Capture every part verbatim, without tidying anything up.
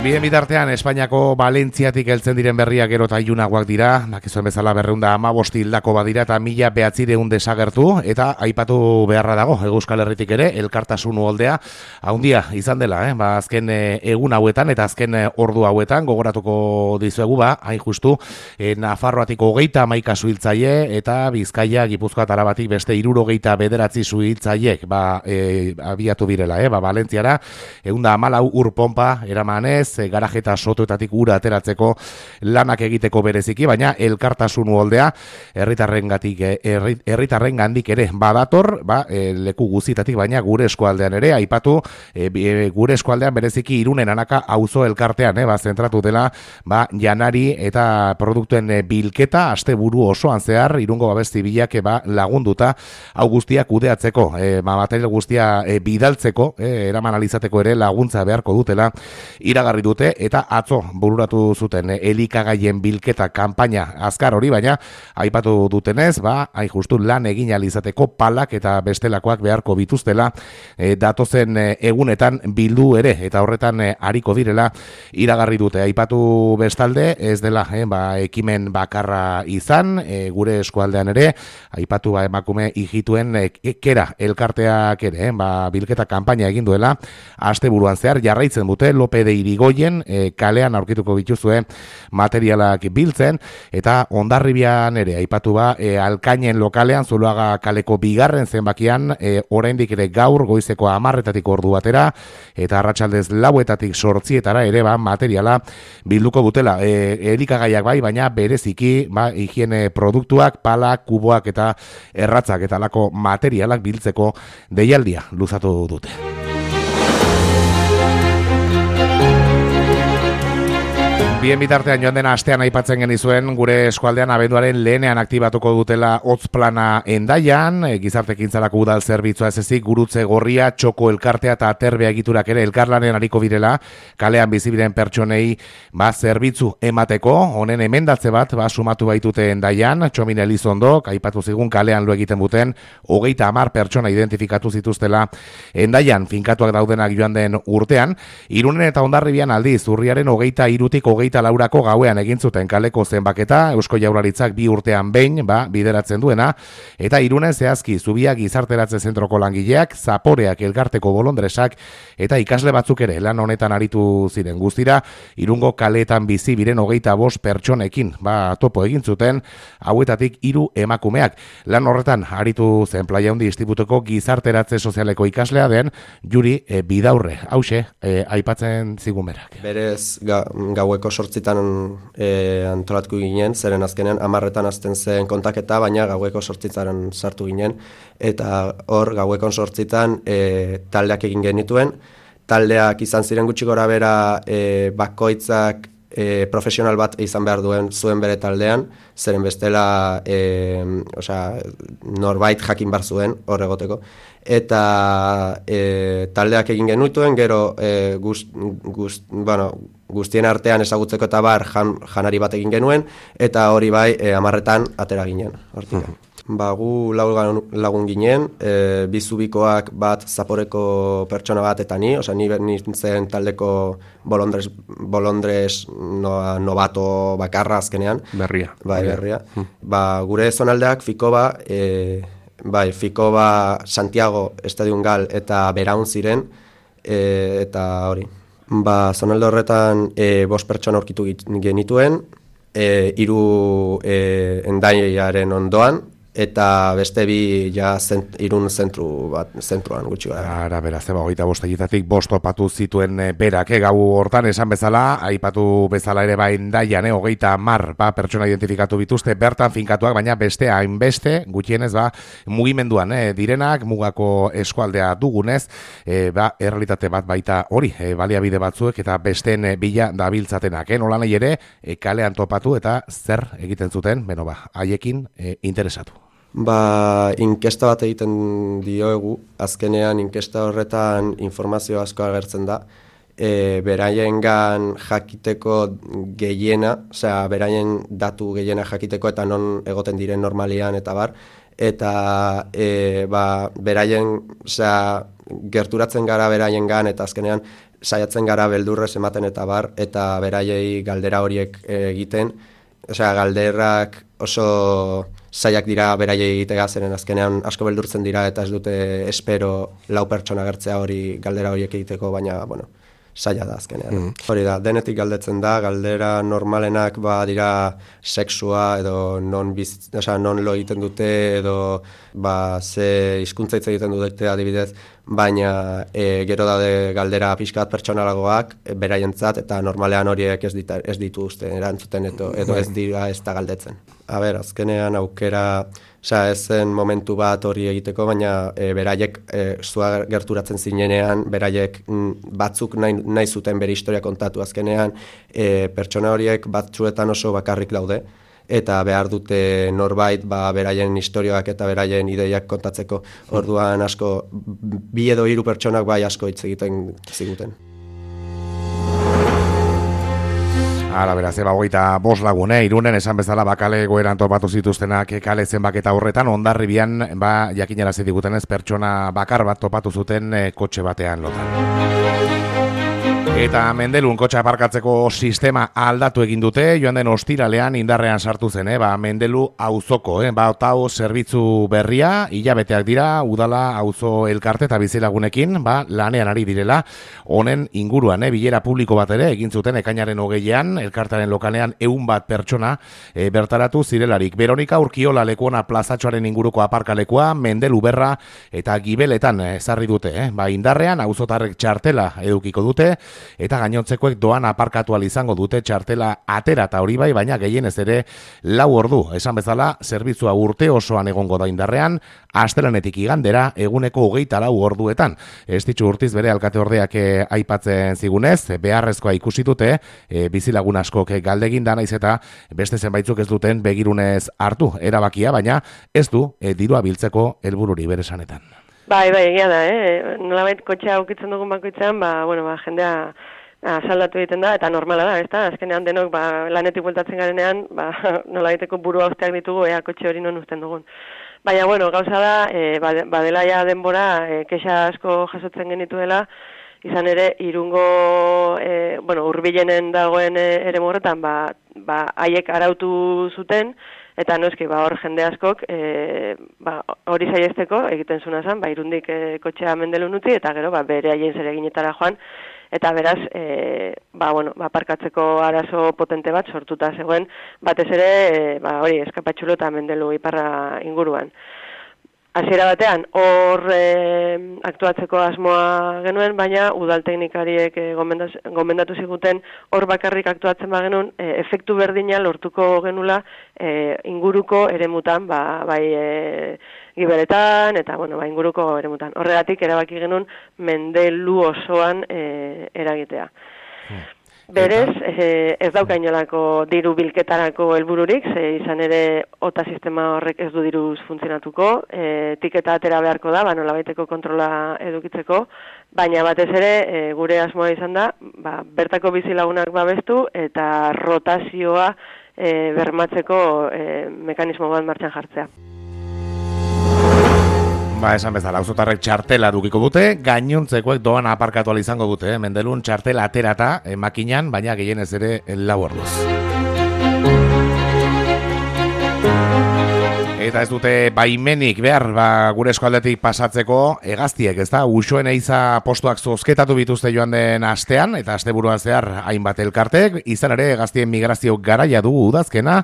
Bien bitartean, Espainiako Valentziatik heltzen diren berriak gero eta ilunagoak dira, dakizuen bezala berreunda amabost hildako badira eta mila behatzireun desagertu, eta aipatu beharra dago, Euskal Herritik ere, elkartasun uholdea, haundia izan dela, eh? ba, azken e, egun hauetan eta azken e, ordu hauetan, gogoratuko dizuegu, ba, hain justu, e, Nafarroatik hogeita hamaika suhiltzaile, eta Bizkaia, Gipuzkoa eta Arabatik beste hirurogeita bederatzi suhiltzaileek, ba, e, abiatu direla, eh? ba, Valentziara, eunda hamalau ur pompa eramanez, garaje eta sotoetatik ura ateratzeko lanak egiteko bereziki, baina elkartasun uholdea herritarrengatik herritarren gandik ere badator, ba, e, leku guztietatik, baina gure eskualdean ere aipatu, e, e, gure eskualdean bereziki Irunen Anaka auzo elkartean, e, ba, zentratu dela, ba, janari eta produktuen bilketa asteburu osoan zehar Irungo babes zibilak ba, lagunduta hau guztia kudeatzeko, e, ba, material guztia e, bidaltzeko, e, eraman alizateko ere laguntza beharko dutela iragarri dute, eta atzo bururatu zuten elikagaien bilketa kanpaina azkar hori, baina aipatu dutenez, ba, hain justu lan egin alizateko palak eta bestelakoak beharko bituztela e, datozen e, egunetan bildu ere, eta horretan e, ariko direla iragarri dute. Aipatu bestalde, ez dela e, ba, ekimen bakarra izan, e, gure eskualdean ere, aipatu ba, emakume hijituen e, kera elkarteak ere, e, ba, bilketa kanpaina egin duela, asteburuan zehar jarraitzen dute, Lope de Irigoyen E, kalean aurkituko bituzue materialak biltzen, eta Hondarribian ere aipatu ba, e, Alkainen lokalean, Zuloaga kaleko bigarren zenbakian, e, oraindik ere gaur goizeko hamarretatik ordu batera, eta arratsaldez lauetatik sortzietara ere ba, materiala bilduko dutela. E, elikagaiak bai, baina bereziki ba, higiene produktuak, palak, kuboak eta erratzak eta alako materialak biltzeko deialdia luzatu dute. Bien bitartean joan dena astean aipatzen genizuen, gure eskualdean abenduaren lehenean aktibatuko dutela hotz plana Hendaian, e, gizartekintzarako udal zerbitzua ez ezik, gurutze gorria, txoko elkartea eta aterbea egiturak ere elkarlanen ariko direla, kalean bizibiren pertsonei ba, zerbitzu emateko, honen emendatze bat ba, sumatu baitute Hendaian, Txomin Elizondok, aipatu zigun kalean lo egiten buten, hogeita hamar pertsona identifikatu zituztela Hendaian, finkatuak daudenak joan den urtean, Irunen eta Hondarribian aldiz, urriaren hogeita hirutik hogeita laurako gauean egin zuten kaleko zenbaketa, Eusko Jaurlaritzak bi urtean behin, ba, bideratzen duena, eta Irunen zehazki Zubia gizarteratze zentroko langileak, Zaporeak elkarteko bolondresak, eta ikasle batzuk ere lan honetan aritu ziren guztira, Irungo kaleetan bizi biren hogeita bost pertsonekin, ba, topo egin zuten, hauetatik hiru emakumeak. Lan horretan aritu zen Playa Handi Institutuko gizarteratze sozialeko ikaslea den Juri e, Bidaurre, hause, e, aipatzen zigun berak. Berez ga, gaueko sortzitan e, antolatku ginen, zeren azkenean amarretan azten zen kontaketa, baina gaueko sortzitan sartu ginen, eta hor gaueko sortzitan e, taldeak egin genituen, taldeak izan ziren gutxi gora bera e, bakoitzak e, profesional bat izan behar duen zuen bere taldean, zeren bestela e, osea, norbait jakin bar zuen hor egoteko, eta e, taldeak egin genituen, gero e, gust, gust, bueno, guztien artean ezagutzeko eta bar jan, janari bat egin genuen, eta hori bai e, amarretan atera ginen. Hortik. Ba, gu lagun, lagun ginen, e, bizubikoak bat Zaporeko pertsona bat eta ni, osea, ni nintzen taldeko bolondres, bolondres no, novato bakarra azkenean. Berria. Bai, berria. Hmm. Ba, gure zonaldeak Fikoba, e, bai, Fikoba, Santiago, Estadion Gal eta Beraun ziren, e, eta hori. Ba, zonalde horretan e, bost pertsona aurkitu genituen, e, hiru e, Hendaiaren ondoan, eta beste bi ja zent, Irun zentru bat, zentruan gutxi gara. Ara, beraz, eba, hogeita bost egitatik bost topatu zituen e, berak, e, gau hortan esan bezala, aipatu bezala ere ba Hendaian, e, hogeita mar ba, pertsona identifikatu bituzte, bertan finkatuak, baina beste hainbeste, gutxienez, ba, mugimenduan, e, direnak, mugako eskualdea dugunez, e, ba, errealitate bat baita hori, e, baliabide batzuek, eta besteen e, bila dabiltzatenak, e, nola nahi ere, e, kalean topatu, eta zer egiten zuten, beno ba, haiekin e, interesatu. Ba, inkesta bat egiten dioegu, azkenean inkesta horretan informazio asko agertzen da, e, beraiengan jakiteko gehiena, osea, beraien datu gehiena jakiteko eta non egoten diren normalian eta bar, eta e, ba, beraien, osea, gerturatzen gara beraiengan eta azkenean saiatzen gara beldurrez ematen eta bar, eta beraiei galdera horiek egiten, osea, galderrak oso zaiak dira beraiei egitea, zeren azkenean asko beldurtzen dira eta ez dute espero lau pertsona gertzea hori galdera horiek egiteko, baina, bueno, zaila da azkenean. Mm. Hori da, denetik galdetzen da, galdera normalenak ba dira sexua edo non, biz, osea, non lo egiten dute edo ba, ze hizkuntza hitz egiten dute adibidez, baina e, gero daude galdera pixkat pertsonalagoak e, beraientzat eta normalean horiek ez, dita, ez dituzte erantzuten edo, edo ez dira ez da galdetzen. A ber, azkenean aukera, osea, ez zen momentu bat hori egiteko, baina e, beraiek e, zua gerturatzen zinenean, beraiek m, batzuk nahi, nahi zuten bere historia kontatu azkenean, e, pertsona horiek batzuetan oso bakarrik daude, eta behar dute norbait ba, beraien historioak eta beraien ideiak kontatzeko, orduan asko, bi edo hiru pertsonak bai asko hitz egiten ziguten. Hala, beraz, eba hogeita bost lagune, Irunen esan bezala bakale goeran topatu zituztenak kale zenbaketa horretan, Hondarribian, ba, jakinarazi digutenez, pertsona bakar bat topatu zuten e, kotxe batean lotan. Eta Mendelun kotxe aparkatzeko sistema aldatu egin dute, joan den ostiralean indarrean sartu zen, eh? Ba, Mendelu auzoko, eh? Ba, otau zerbitzu berria, hilabeteak dira, udala auzo elkarte eta bizilagunekin, ba, lanean ari direla, honen inguruan, eh? Bilera publiko bat ere, egin zuten ekainaren hogeian, elkartaren lokalean ehun bat pertsona e, bertaratu zirelarik. Veronika Urkiola lekuona plazatxoaren inguruko aparkalekua, Mendelu berra eta gibeletan ezarri dute, eh? Ba, indarrean auzotarrek txartela edukiko dute, eta gainontzekoek doan aparkatu ahal izango dute txartela atera eta hori bai, baina gehienez ere lau ordu. Esan bezala, zerbitzua urte osoan egongo da indarrean, astelehenetik igandera eguneko hogeita lau orduetan. Ez ditxu urtiz bere alkate ordeak eh, aipatzen zigunez, beharrezkoa ikusi dute, eh, bizilagun askok galdegin da naiz eta beste zenbaitzuk ez duten begirunez hartu erabakia, baina ez du eh, dirua biltzeko helbururi bere esanetan. Bai, bai, egia da, eh? Nolabait kotxea aukitzen dugun bakoitzean, ba, bueno, ba, jendea asaldatu egiten da, eta normala da, ezta? Azkenean denok, ba, lanetik bueltatzen garenean, ba, nolabaiteko burua usteak ditugu, ea kotxe hori non usten dugun. Baina, bueno, gauza da, e, badela ja denbora, e, kexa asko jasotzen genituela, izan ere, Irungo, e, bueno, hurbilenen dagoen ere morretan, ba, ba, haiek arautu zuten, eta noski, ba, hor jende askok, e, ba, hori saiesteko egiten zuna zen, ba, Irundik e, kotxea Mendelun utzi, eta gero, ba, bere haien zereginetara joan, eta beraz, e, ba, bueno, ba, parkatzeko arazo potente bat sortuta zegoen, batez ere, e, ba, hori, Eskapatxulo eta Mendelu iparra inguruan. Hasiera batean, hor e, aktuatzeko asmoa genuen, baina udal teknikariek e, gomendatu ziguten hor bakarrik aktuatzen bagenuen, e, efektu berdina lortuko genula e, inguruko eremutan, ba, bai e, gibeletan, eta bueno, ba, inguruko eremutan. Horregatik erabaki genuen Mendelu osoan e, eragitea. Hmm. Berez, eh, ez dauka inolako diru bilketarako helbururik, ze izan ere ota sistema horrek ez du diruz funtzionatuko, e, tiketa atera beharko da, ba, nolabaiteko kontrola edukitzeko, baina batez ere e, gure asmoa izan da, ba, bertako bizilagunak babestu eta rotazioa e, bermatzeko e, mekanismo bat martxan jartzea. Ba, esan bezala, auzotarrek txartela dukiko dute, gainontzekoek doan aparkatu ahal izango dute, eh? Mendelun txartela aterata eh, makinan, baina gehienez ere lau orduz. Eta ez dute baimenik behar, ba, gure eskualdetik pasatzeko hegaztiek, ez da, usoen eiza postuak zozketatu bituzte joan den astean, eta asteburuan zehar hainbat elkartek, izan ere hegaztien migrazio garaia dugu udazkena,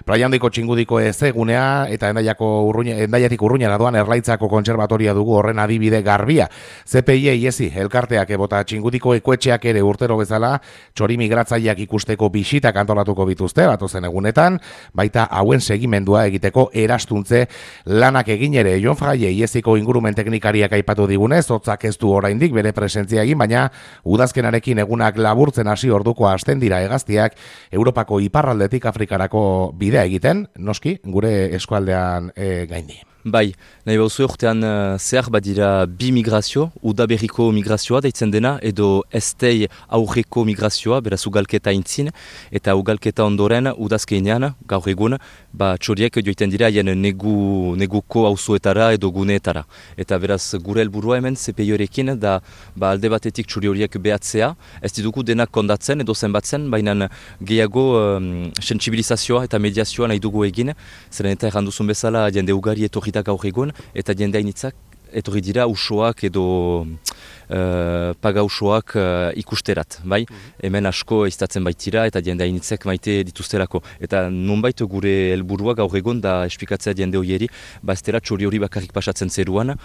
Playa Handiko Txingudiko ezegunea eta endaiako urruña, endaiatik urruñara doan Erlaitzako kontserbatoria dugu horren adibide garbia. C P I iesi elkarteak ebota Txingudiko ekoetxeak ere urtero bezala txori migratzaileak ikusteko bisitak antolatuko bituzte, batozen egunetan, baita hauen segimendua egiteko erastuntze lanak egin ere. Jon Fraile iesiko ingurumen teknikariak aipatu digunez, hotzak ez du oraindik bere presentzia egin, baina udazkenarekin egunak laburtzen hasi orduko hasten dira hegaztiak Europako iparraldetik Afrikarako bidea egiten, noski, gure eskualdean e, gaindi. Bai, nahi bauzu urtean uh, zehar badira bi migrazio, udaberriko migrazioa deitzen dena, edo estei aurreko migrazioa, beraz ugalketa intzin, eta ugalketa ondoren udazkeinean, gaur egun, ba, txoriek joiten dira haien negu, neguko auzoetara edo guneetara. Eta beraz gure helburua hemen C P I-orekin da ba, alde batetik txori horiek behatzea, ez ditugu denak kondatzen edo zenbatzen, baina gehiago um, sentsibilizazioa eta mediazioa nahi dugu egin, zeren eta erranduzun bezala jende ugari etorri gaur egun, eta jende hainitzak etorri dira usoak edo uh, pagausoak uh, ikusterat, bai? Mm-hmm. Hemen asko iztatzen baitira eta jende hainitzek maite dituzterako. Eta nonbait gure helburua gaur egun da esplikatzea jende horieri, ba ez dela txori hori bakarrik pasatzen zeruan,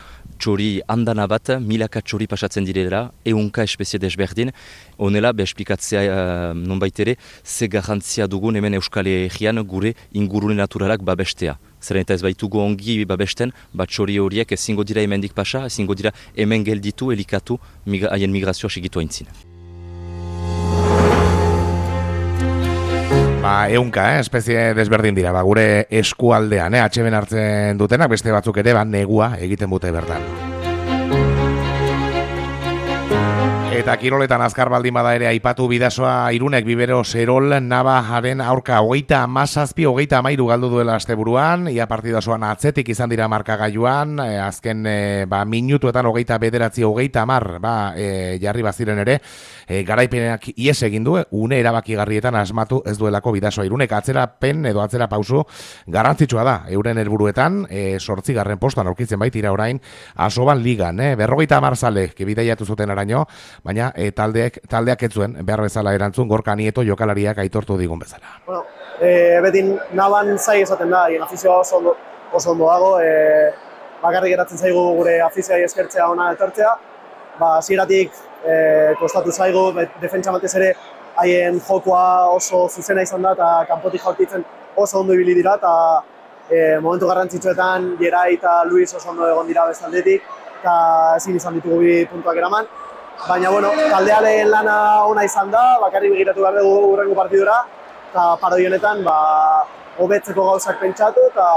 txori handana bat, milaka txori pasatzen direla, eunka espezie desberdin, honela be esplikatzea uh, nonbait ere, ze garrantzia dugun hemen Euskal Herrian gure ingurune naturalak babestea. Zeren eta ez baitugu ongi babesten, bat txori horiek ezingo dira hemendik pasa, ezingo dira hemen gelditu, elikatu, migra, haien migrazioa segitu haintzin. Ba, eunka, eh? espezie desberdin dira, ba, gure eskualdean, eh? atxeben hartzen dutenak, beste batzuk ere, ba, negua egiten dute bertan. Eta kiroletan azkar baldin bada ere aipatu bidasoa Irunek Bibero Serol Navaren aurka hogeita hamazazpi, hogeita hamairu galdu duela asteburuan, ia partidasoan atzetik izan dira markagailuan, e, azken e, ba, minutuetan hogeita bederatzi, hogeita hamar ba, e, jarri baziren ere, e, garaipenak ies egin du, une erabakigarrietan asmatu ez duelako bidasoa Irunek, atzerapen edo atzera pausu garrantzitsua da, euren helburuetan, e, sortzigarren postuan aurkitzen baitira orain, Asoban ligan, eh? berrogeita hamar zale, kebidaiatu zuten araño, baina e, taldeak, taldeak ez zuen behar bezala erantzun Gorka Nieto jokalariak aitortu digun bezala. Bueno, e, beti naban zai esaten da, hien afizioa oso ondo, oso ondo dago, e, bakarrik geratzen zaigu gure afizioa eskertzea ona etortzea, ba, hasieratik e, kostatu zaigu, defentsa batez ere haien jokoa oso zuzena izan da, eta kanpotik jaurtitzen oso ondo ibili dira, eta e, momentu garrantzitsuetan Gerai eta Luis oso ondo egon dira bestaldetik, eta ezin izan ditugu bi puntuak eraman. Baina, bueno, taldearen lana ona izan da, bakarrik begiratu behar dugu hurrengo partidura, eta parodi honetan, ba, hobetzeko gauzak pentsatu eta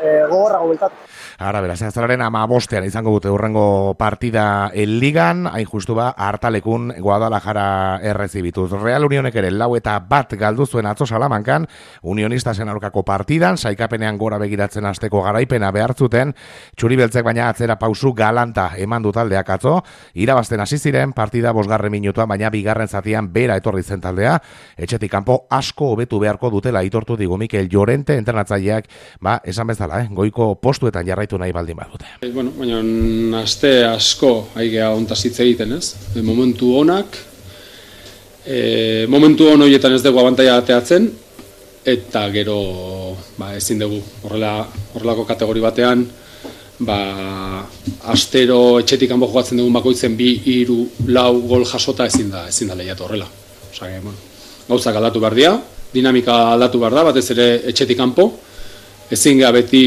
e, gogorrago beltatu. Ara, beraz, azalaren amabostean izango dute hurrengo partida el ligan, hain justu ba, hartalekun Guadalajara errezibituz. Real Unionek ere lau eta bat galdu zuen atzo Salamankan, Unionistasen aurkako partidan, saikapenean gora begiratzen hasteko garaipena behartzuten, txuri beltzek baina atzera pausu galanta eman du taldeak atzo, irabazten hasi ziren partida bosgarren minutuan, baina bigarren zatian bera etorri zen taldea, etxetik kanpo asko hobetu beharko dutela aitortu digu Mikel Llorente entrenatzaileak, ba, esan bezala, eh, goiko postuetan jarraitu nahi baldin badute. Bueno, baina aste asko aigea hontaz hitz egiten, ez? E, momentu onak, e, momentu on horietan ez dugu abantaia ateatzen, eta gero ba, ezin dugu horrela, horrelako kategori batean, ba, astero etxetik kanpo jokatzen dugun bakoitzen bi, hiru, lau gol jasota ezin da, ezin da lehiatu horrela. Osea, bueno, gauzak aldatu behar dira, dinamika aldatu behar da, batez ere etxetik kanpo, ezin geha beti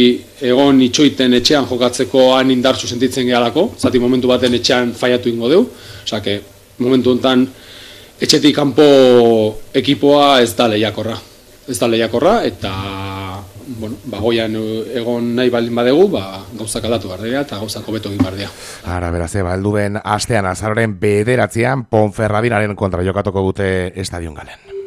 egon itxoiten etxean jokatzeko han indartsu sentitzen gehalako, zati momentu baten etxean faiatu ingo deu, osea, que momentu honetan etxetik kanpo ekipoa ez da lehiakorra. Ez da lehiakorra eta bueno, bagoian egon nahi baldin badegu, ba, gauzak aldatu behar dira eta gauzak hobeto egin behar dira. Ara, beraz, eba, helduen astean azaroren bederatzean Ponferradinaren kontra jokatuko dute Estadion Galen.